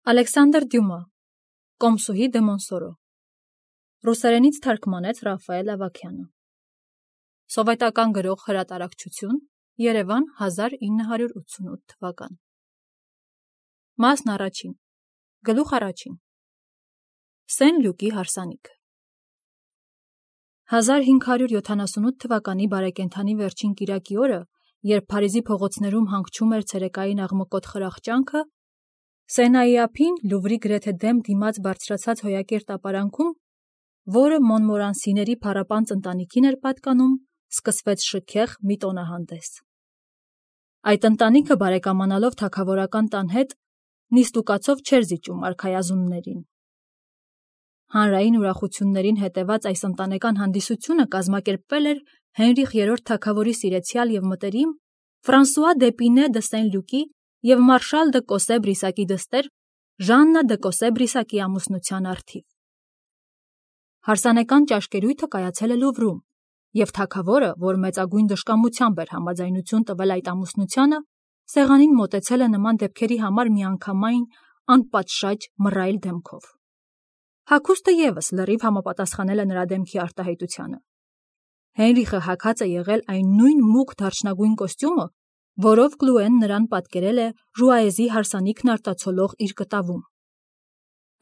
Ալեքսանդր Դյումա, Կոմսուհի դե Մոնսորո, ռուսերենից թարգմանեց Ռաֆայել Ավագյանը, սովետական գրող հրատարակչություն, Երևան 1988 թվական։ Մասն առաջին, գլուխ առաջին, Սեն Լյուկի հարսանիքը։ 1578 թվականի բարեկենդանի վերջին կիրակի օրը, երբ Փարիզի փողոցներում հանգչում էր ցերեկային աղմկոտ խրախճանքը, Սենայի ափին Լուվրի գրեթե դեմ դիմաց բարձրացած հոյակերտ ապարանքում, որը Մոնմորանսիների փառապանծ ընտանիքին էր պատկանում, սկսվեց շքեղ մի տոնահանդես։ Այդ ընտանիքը բարեկամանալով թագավորական տան հետ, նիստուկացով չէր զիջում արքայազուններին։ Հանրային ուրախություններին հետևած այս ընտանեկան հանդիսությունը կազմակերպվել էր Հենրիխ III թագավորի սիրեցյալ և մտերիմ Ֆրանսուଆ դ'Եպինե դը Սեն-Լյուկի և մարշալ դը Կոսե-Բրիսակի դստեր Ժաննա դը Կոսե-Բրիսակի ամուսնության առթիվ։ Հարսանեկան ճաշկերույթը կայացել է Լուվրում, և թագավորը, որ մեծագույն դժկամությամբ էր համաձայնություն տվել այդ ամուսնությանը, սեղանին մոտեցել է նման դեպքերի համար միանգամայն անպատշաճ մռայլ դեմքով։ Հագուստը ևս լրիվ համապատասխանել է նրա դեմքի արտահայտությանը։ Հենրիխը հագած է եղել այն նույն մուգ դարչնագույն կոստյումը, որով Կլուեն նրան պատկերել է Ժուայեզի հարսանիքն արտացոլող իր կտավում։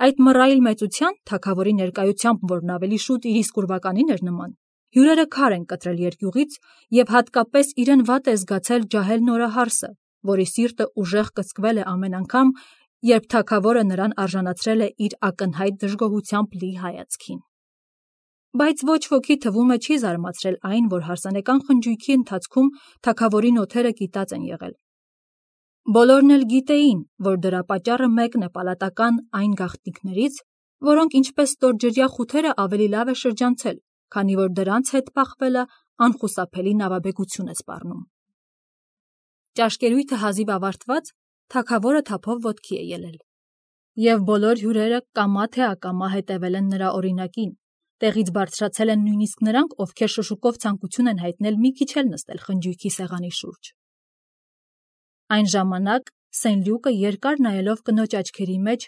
Այդ մռայլ մեծության, թագավորի ներկայությամբ, որն ավելի շուտ իր իսկ ուրվականին էր նման, հյուրերը քար են կտրել երկյուղից և հատկապես իրեն վատ է զգացել ջահել նորահարսը, որի սիրտը ուժեղ կծկվել է ամեն անգամ, երբ թագավորը նրան արժանացրել է իր ակնհայտ դժգոհությամբ լի հայացքին։ Բայց ոչ ոքի թվում է չի զարմացրել այն, որ հարսանեկան խնջույքի ընթացքում թագավորի նոթերը կիտած են եղել։ Բոլորն էլ գիտեին, որ դրա պատճառը մեկն է պալատական այն գաղտնիքներից, որոնք ինչպես ստորջրյա խութերը ավելի լավ է շրջանցել, քանի որ դրանց հետ պախվելը անխուսափելի նավաբեկություն է սպառնում։ Ճաշկերույթը հազիվ ավարտված, թագավորը թափով ոտքի է ելել, և բոլոր հյուրերը կամա թե ակամա հետևել են նրա օրինակին, տեղից բարձրացել են նույնիսկ նրանք, ովքեր շշուկով ցանկություն են հայտնել մի քիչ էլ նստել խնջույքի սեղանի շուրջ։ Այն ժամանակ Սեն-Լյուկը երկար նայելով կնոջ աչքերի մեջ,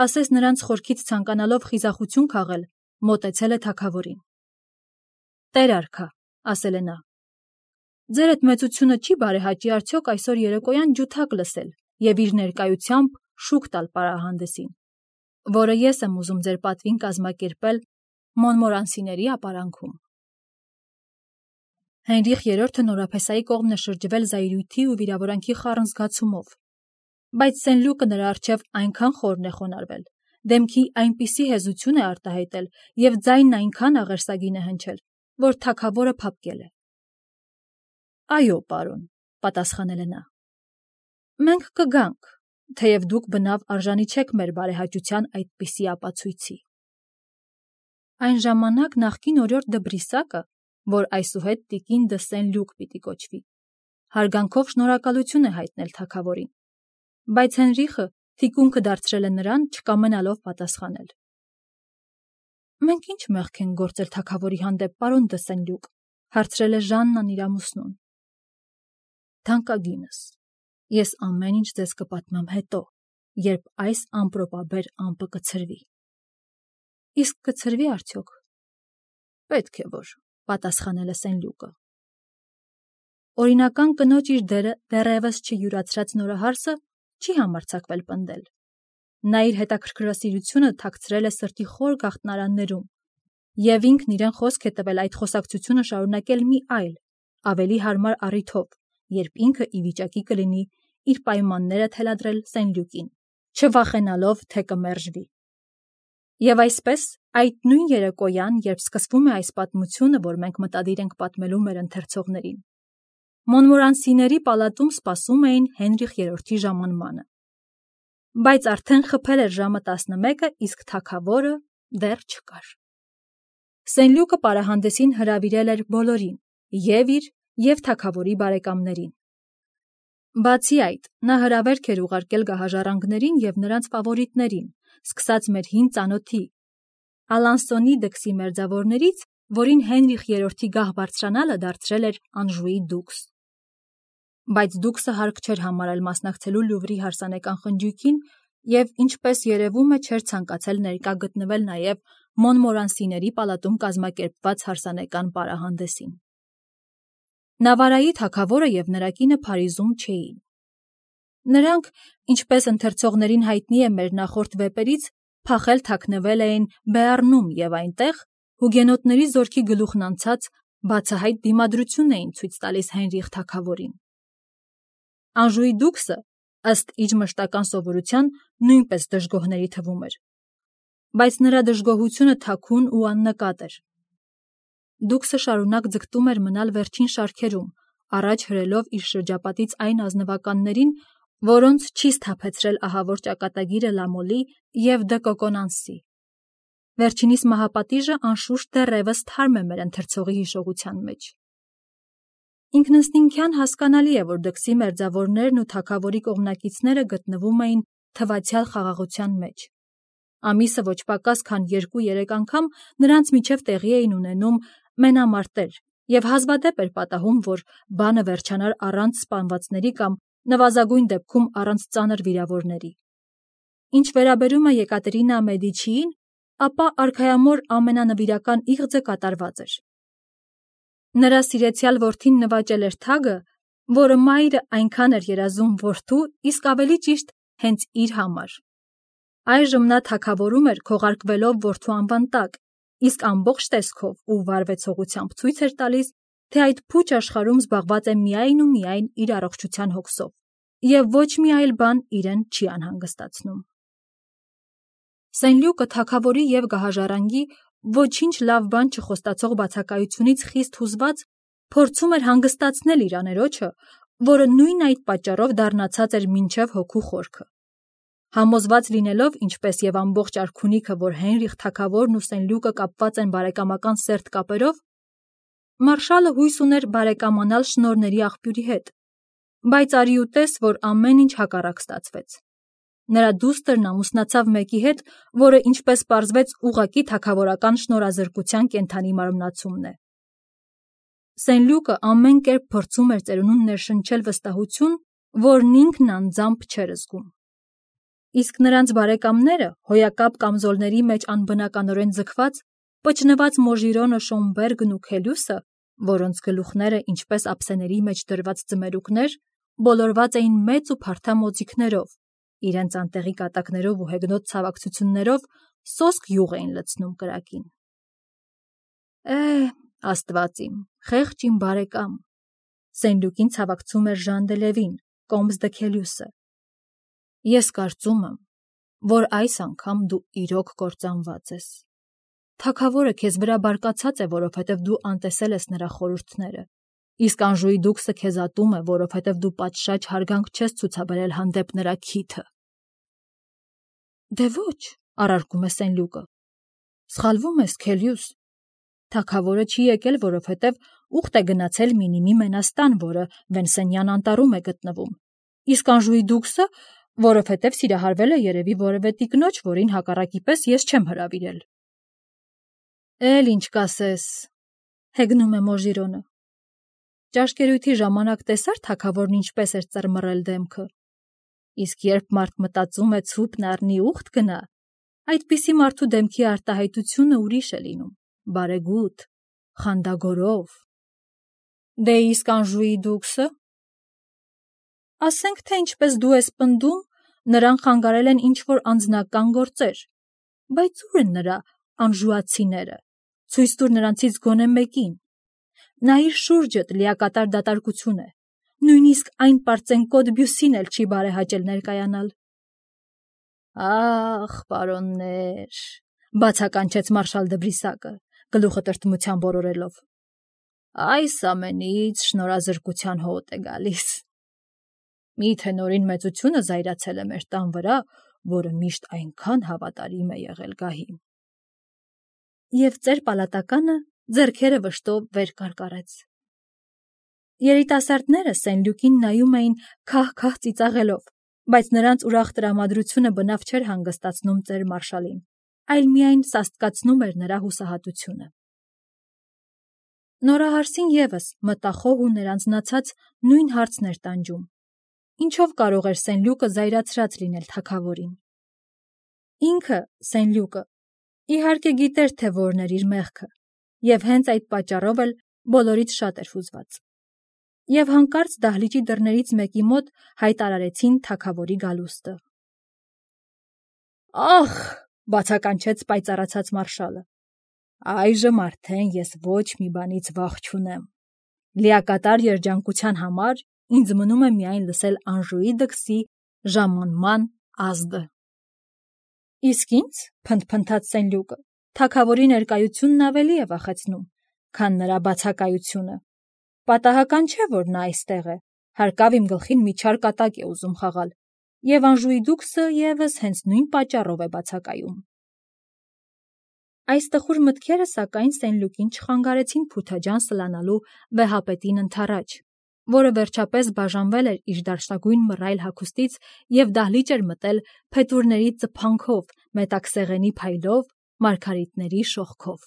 ասես նրանց խորքից ցանկանալով խիզախություն քաղել, մոտեցել է թագավորին։ «Տեր արքա», ասել է նա, «ձեր էդ մեծությունը չի բարեհաճի արդյոք այսօր երեկոյան ջութակ լսել և իր ներկայությամբ շուք տալ պարահանդեսին, որը ես եմ ուզում ձեր պատվին կազմակերպել Մոնմորանսիների ապարանքում»։ Հենրիխ III նորապեսայի կողմն է շրջվել զայրույթի ու վիրավորանքի խառն զգացումով, բայց Սեն-Լյուկը նրա առջև այնքան խորն է խոնարհվել, դեմքի այնպիսի հեզություն է արտահայտել և ձայնն այնքան աղերսագին է հնչել, որ թագավորը փափկել է։ «Այո, պարոն», պատասխանել է նա, «մենք կգանք, թեև դուք բնավ արժանի չեք մեր բարեհաճության այդպիսի ապացույցի»։ Այն ժամանակ նախկին օրիորդ դը Բրիսակը, որ այսուհետ տիկին դը Սեն-Լյուկ պիտի կոչվի, հարգանքով շնորհակալություն է հայտնել թագավորին, բայց Հենրիխը թիկունքը դարձրել է նրան, չկամենալով պատասխանել։ «Մենք ինչ մեղք ենք գործել թագավորի հանդեպ, պարոն դը Սեն-Լյուկ», հարցրել է Ժաննան իր ամուսնուն։ «Թանկագինս, ես ամեն ինչ ձեզ կպատմեմ հետո, երբ այս ամպրոպաբեր ամպը կցրվի»։ «Իսկ կցրվի արդյոք»։ «Պետք է որ», պատասխանել է Սեն-Լյուկը։ Օրինական կնոջ իր դերը դեռևս չյուրացրած նորահարսը չի համարձակվել պնդել։ Նա իր հետաքրքրասիրությունը թաքցրել է սրտի խոր գաղտնարաններում, և ինքն իրեն խոսք է տվել այդ խոսակցությունը շարունակել մի այլ, ավելի հարմար առիթով, երբ ինքը ի վիճակի կլինի իր պայմանները թելադրել Սեն-Լյուկին, չվախենալով, թե կմերժվի։ Եվ այսպես, այդ նույն երեկոյան, երբ սկսվում է այս պատմությունը, որ մենք մտադիր ենք պատմելու մեր ընթերցողներին, Մոնմորանսիների պալատում սպասում էին Հենրիխ III-ի ժամանմանը։ Բայց արդեն խփել էր ժամը 11-ը, իսկ թագավորը դեռ չկար։ Սեն-Լյուկը պարահանդեսին հրավիրել էր բոլորին, և իր, և թագավորի բարեկամներին։ Բացի այդ, նա հրավերք էր ուղարկել գահաժառանգներին և նրանց ֆավորիտներին, սկսած մեր հին ծանոթի Ալանսոնի դքսի մերձավորներից, որին Հենրիխ III-ի գահ բարձրանալը դարձրել էր Անժուի դուքս։ Բայց դուքսը հարկ չէր համարել մասնակցելու Լուվրի հարսանեկան խնջույքին, և ինչպես երևում է չէր ցանկացել ներկա գտնվել նաև Մոնմորանսիների պալատում կազմակերպված հարսանեկան պարահանդեսին։ Նավարայի թագավորը և նրա կինը Փարիզում չէին։ Նրանք, ինչպես ընթերցողներին հայտնի է մեր նախորդ վեպերից, փախել թաքնվել էին Բեառնում և այնտեղ հուգենոտների զորքի գլուխն անցած բացահայտ դիմադրություն էին ցույց տալիս Հենրիխ թագավորին։ Անժուի դուքսը, ըստ իր մշտական սովորության, նույնպես դժգոհների թվում էր, բայց նրա դժգոհությունը թաքուն ու աննկատ էր։ Դուքսը շարունակ ձգտում էր մնալ վերջին շարքերում, առաջ հրելով իր շրջապատից այն ազնվականներին, որոնց չի սթափեցրել ահավոր ճակատագիրը Լամոլի և Դը Կոկոնանսի։ Վերջինիս մահապատիժը անշուշտ դեռևս թարմ է մեր ընթերցողի հիշողության մեջ։ Ինքնըստինքյան հասկանալի է, որ դքսի մերձավորներն ու թագավորի կողմնակիցները գտնվում էին թվացյալ խաղաղության մեջ։ Ամիսը ոչ պակաս քան 2-3 անգամ նրանց միջև տեղի էին ունենում մենամարտեր, և հազվադեպ էր պատահում, որ բանը վերջանար առանց սպանվածների կամ նվազագույն դեպքում առանց ծանր վիրավորների։ Ինչ վերաբերում է Եկատերինա Մեդիչիին, ապա արքայամոր ամենանվիրական իղձը կատարված էր։ Նրա սիրեցյալ որդին նվաճել էր թագը, որը մայրը այնքան էր երազում որդու, իսկ ավելի ճիշտ հենց իր համար։ Այժմ նա թագավորում էր քողարկվելով որդու անվան տակ, իսկ ամբողջ տեսքով ու վարվեցողությամբ ցույց էր տալիս, թե այդ փուչ աշխարհում զբաղված է միայն ու միայն իր առողջության հոգսով, և ոչ մի այլ բան իրեն չի անհանգստացնում։ Սենլյուկը թագավորի և գահաժառանգի ոչինչ լավ բան չխոստացող բացակայությունից խիստ հուզված փորձում էր հանգստացնել իր աներոջը, որը նույն այդ պատճառով դառնացած էր մինչև հոգու խորքը։ Համոզված լինելով, ինչպես և ամբողջ արքունիքը, որ Հենրիխ թագավորն ու Սենլյուկը կապված են բարեկամական սերտ կապերով, մարշալը հույս ուներ բարեկամանալ շնորհների աղբյուրի հետ, բայց արի ու տես, որ ամեն ինչ հակառակ ստացվեց։ Նրա դուստրն ամուսնացավ մեկի հետ, որը, ինչպես պարզվեց, ուղղակի թագավորական շնորհազրկության կենդանի մարմնացումն է։ Սենլյուկը ամեն կերպ փորձում էր ծերունուն ներշնչել վստահություն, որն ինքն անձամբ չէր զգում։ Իսկ նրանց բարեկամները, հոյակապ կամզոլների մեջ անբնականորեն ձգված, պճնված Մոժիրոնը, Շոմբերգն ու Քելյուսը, որոնց գլուխները, ինչպես ափսեների մեջ դրված ձմերուկներ, բոլորված էին մեծ ու փարթամ օձիքներով, իրենց անտեղի կատակներով ու հեգնոտ ցավակցություններով սոսկ յուղ էին լցնում կրակին։ Աստված իմ, խեղճ իմ բարեկամ, Սենլյուկին ցավակցում էր Ժան դե Լևին, Կոմս դը Քելյուսը։ Ես կարծում եմ, որ այս անգամ դու իրոք կործանված ես։ Թագավորը քեզ վրա բարկացած է, որովհետև դու անտեսել ես նրա խորհուրդները, իսկ Անժուի դուքսը քեզ ատում է, որովհետև դու պատշաճ հարգանք չես ցուցաբերել հանդեպ նրա քիթը։ Դե ոչ, առարկում է Սենլյուկը։ Սխալվում ես, Քելյուս։ Թագավորը չի եկել, որովհետև ուխտ է գնացել Մինիմի մենաստան, որը Վենսենյան անտառում է գտնվում, իսկ Անժուի դուքսը, որովհետև սիրահարվել է երևի որևէ տիկնոջ, որին հակառակի պես ես չեմ հրավիրել։ Էլ ինչ կասես, հեգնում է Մոժիրոնը։ Ճաշկերույթի ժամանակ տեսար թագավորն ինչպես էր ծռմռել դեմքը։ Իսկ երբ մարդ մտածում է ցուպն առնի ուխտ գնա, այդպիսի մարդու դեմքի արտահայտությունը ուրիշ է լինում, բարեգութ, խանդագորով։ Դե իսկ Անժուի դուքսը։ Ասենք թե ինչպես դու ես պնդում, նրան խանգարել են ինչ-որ անձնական գործեր, բայց ուր են նրա անժուացիները, ցույց տուր նրանցից գոնե մեկին։ Նայիր շուրջդ, լիակատար դատարկություն է, նույնիսկ այն պարծենկոտ Բյուսին էլ չի բարեհաճել ներկայանալ։ Ախ, պարոններ, բացականչեց մարշալ դը Բրիսակը, գլուխը տրտմությամբ որորելով, այս ամենից շնորհազրկության հոտ է գալիս։ Միթե նորին մեծությունը զայրացել է մեր տան վրա, որը միշտ այնքան հավատարիմ է եղել գահին։ Եվ ծեր պալատականը ձեռքերը վշտով վեր կարկառեց։ Երիտասարդները Սենլյուկին նայում էին քահ-քահ ծիծաղելով, բայց նրանց ուրախ տրամադրությունը բնավ չէր հանգստացնում ծեր մարշալին, այլ միայն սաստկացնում էր նրա հուսահատությունը։ Նորահարսին ևս մտախոհ ու ներանձնացած նույն հարցն էր տանջում. ինչով կարող էր Սենլյուկը զայրացրած լինել թագավորին։ Ինքը, Սենլյուկը, իհարկե գիտեր, թե որն էր իր մեղքը, և հենց այդ պատճառով էլ բոլորից շատ էր հուզված։ Եվ հանկարծ դահլիճի դռներից մեկի մոտ հայտարարեցին թագավորի գալուստը։ «Ախ», բացականչեց պայծառացած մարշալը, «այժմ արդեն ես ոչ մի բանից վախ չունեմ։ Լիակատար երջանկության համար ինձ մնում է միայն լսել Անժուի դքսի ժամանման ազդը»։ Իսկ ինձ, փնթփնթաց Սենլյուկը, թագավորի ներկայությունն ավելի է վախեցնում, քան նրա բացակայությունը։ Պատահական չէ, որ նա այստեղ է, հարկավ իմ գլխին մի չար կատակ է ուզում խաղալ, և Անժուի դուքսը ևս հենց նույն պատճառով է բացակայում։ Այս տխուր մտքերը, սակայն, Սենլյուկին չխանգարեցին Փութաջան սլանալու վեհապետին ընդառաջ, որը վերջապես բաժանվել էր իր դարչնագույն մռայլ հագուստից և դահլիճ էր մտել փետուրների ծփանքով, մետաքսեղենի փայլով, մարգարիտների շողքով։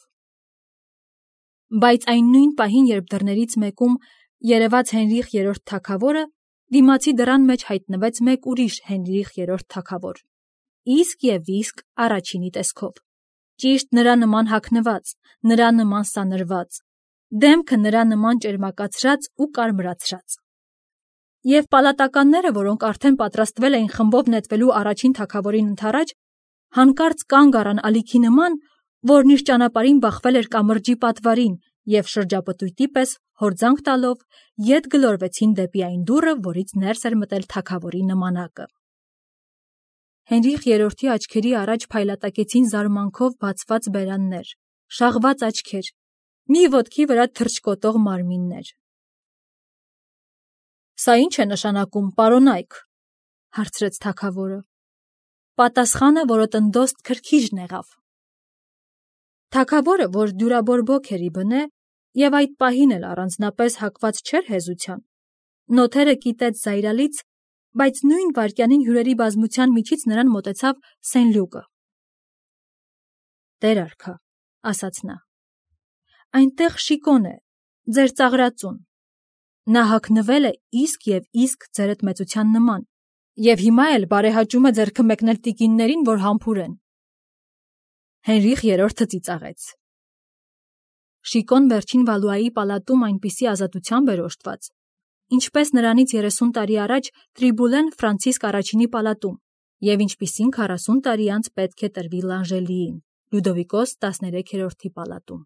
Բայց այն նույն պահին, երբ դռներից մեկում երևաց Հենրիխ III թագավորը, դիմացի դռան մեջ հայտնվեց մեկ ուրիշ Հենրիխ III թագավոր, իսկ և իսկ առաջինի տեսքով, ճիշտ նրա նման հագնված, նրա նման սանրված, դեմքը նրա նման ճերմակացրած ու կարմրացրած։ Եվ պալատականները, որոնք արդեն պատրաստվել էին խմբով նետվելու առաջին թագավորին ընդառաջ, հանկարծ կանգ առան ալիքի նման, որն իր ճանապարհին բախվել էր կամրջի պատվարին, և շրջապտույտի պես հորձանք տալով ետ գլորվեցին դեպի այն դուռը, որից ներս էր մտել թագավորի նմանակը։ Հենրիխ III աչքերի առաջ փայլատակեցին զարմանքով բացված բերաններ, շաղված աչքեր, մի ոտքի վրա թռչկոտող մարմիններ։ «Սա ի՞նչ է նշանակում, պարոն Այք», հարցրեց թագավորը։ Պատասխանը որոտնդոստ քրքիջն եղավ։ Թագավորը, որ դյուրաբորբոք էր ի բնե, և այդ պահին էլ առանձնապես հակված չէր հեզության, նոթերը կիտեց զայրալից, բայց նույն վայրկյանին հյուրերի բազմության միջից նրան մոտեցավ Սենլյուկը։ «Տեր արքա», ասաց նա, «այնտեղ Շիկոն է, ձեր ծաղրածուն։ Նա հագնվել է իսկ և իսկ ձերդ մեծության նման, և հիմա էլ բարեհաճում է ձեռքը մեկնել տիկիններին, որ համբուրեն»։ Հենրիխ III ծիծաղեց։ Շիկոն վերջին Վալուայի պալատում այնպիսի ազատությամբ էր օժտված, ինչպես նրանից 30 տարի առաջ Տրիբուլեն Ֆրանցիսկ I-ի պալատում, և ինչպիսին 40 տարի անց պետք է տրվի Լանժելիին, Լյուդովիկոս 13-րդի պալատում։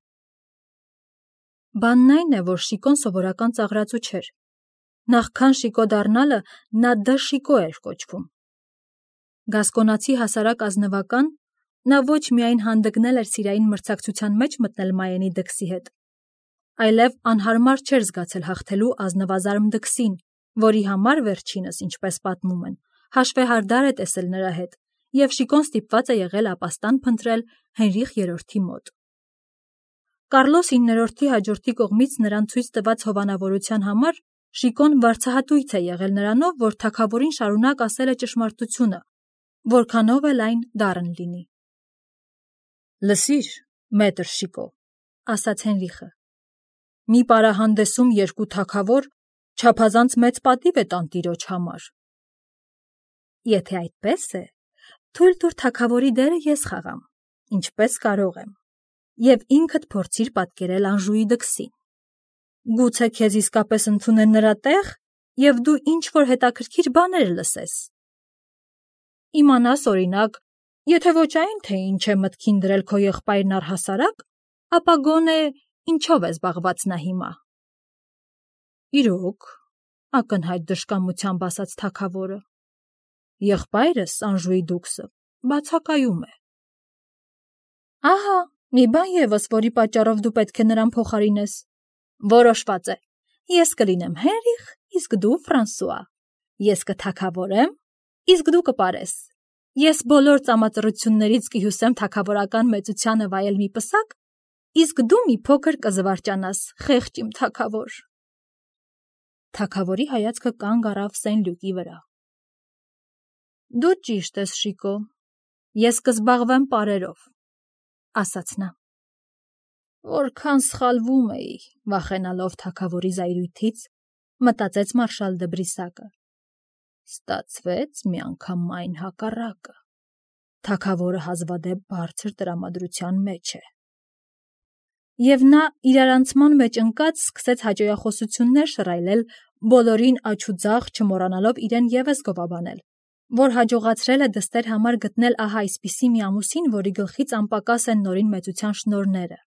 Բանն այն է, որ Շիկոն սովորական ծաղրածու չէր։ Նախքան Շիկո դառնալը նա Դ. Շիկո էր կոչվում։ Գասկոնացի հասարակ ազնվական, նա ոչ միայն հանդգնել էր սիրային մրցակցության մեջ մտնել Մայենի դքսի հետ, այլև անհարմար չէր զգացել հաղթելու ազնվազարմ դքսին, որի համար վերջինս, ինչպես պատմում են, հաշվեհարդար է տեսել նրա հետ, և Շիկոն ստիպված է եղել ապաստան փնտրել Հենրիխ III մոտ։ Կարլոս IX-ի հաջորդի կողմից նրան ցույց տված հովանավորության համար Շիկոն վարձահատույց է եղել նրանով, որ թագավորին շարունակ ասել է ճշմարտությունը, որքանով էլ այն դառն լինի։ «Լսիր, մետր Շիկո», ասաց Հենրիխը, «մի պարահանդեսում երկու թագավոր չափազանց մեծ պատիվ է տանտիրոջ համար»։ «Եթե այդպես է, թույլ տուր թագավորի դերը ես խաղամ, ինչպես կարող եմ, և ինքդ փորձիր պատկերել Անժուի դքսին։ Գուցե քեզ իսկապես ընդունեն նրա տեղ, և դու ինչ-որ հետաքրքիր բաներ լսես։ Իմանաս, օրինակ, եթե ոչ այն, թե ինչ է մտքին դրել քո եղբայրն առհասարակ, ապա գոնե ինչով է զբաղված նա հիմա»։ «Իրոք», ակնհայտ դժկամությամբ ասաց թագավորը, «եղբայրս, Անժուի դուքսը, բացակայում է»։ «Ահա, մի բան ևս, որի պատճառով դու պետք է նրան փոխարինես։ Որոշված է, ես կլինեմ Հենրիխ, իսկ դու Ֆրանսուଆ։ Ես կթագավորեմ, իսկ դու կպարես։ Ես բոլոր ծամածռություններից կհյուսեմ թագավորական մեծությանը վայել մի պսակ, իսկ դու մի փոքր կզվարճանաս, խեղճ իմ թագավոր»։ Թագավորի հայացքը կանգ առավ Սենլյուկի վրա։ «Դու ճիշտ ես, Շիկո, ես կզբաղվեմ պարերով», ասաց նա։ «Որքան սխալվում էի, վախենալով թագավորի զայրույթից», մտածեց մարշալ դը Բրիսակը։ «Ստացվեց միանգամայն հակառակը։ թագավորը հազվադեպ բարձր տրամադրության մեջ է։ Եվ նա իրարանցման մեջ ընկած սկսեց հաճոյախոսություններ շռայլել, բոլորին աջ ու ձախ, չմոռանալով իրեն ևս գովաբանել, որ հաջողացրել է դստեր համար գտնել ահա այսպիսի մի ամուսին, որի գլխից անպակաս են նորին մեծության շնորհները,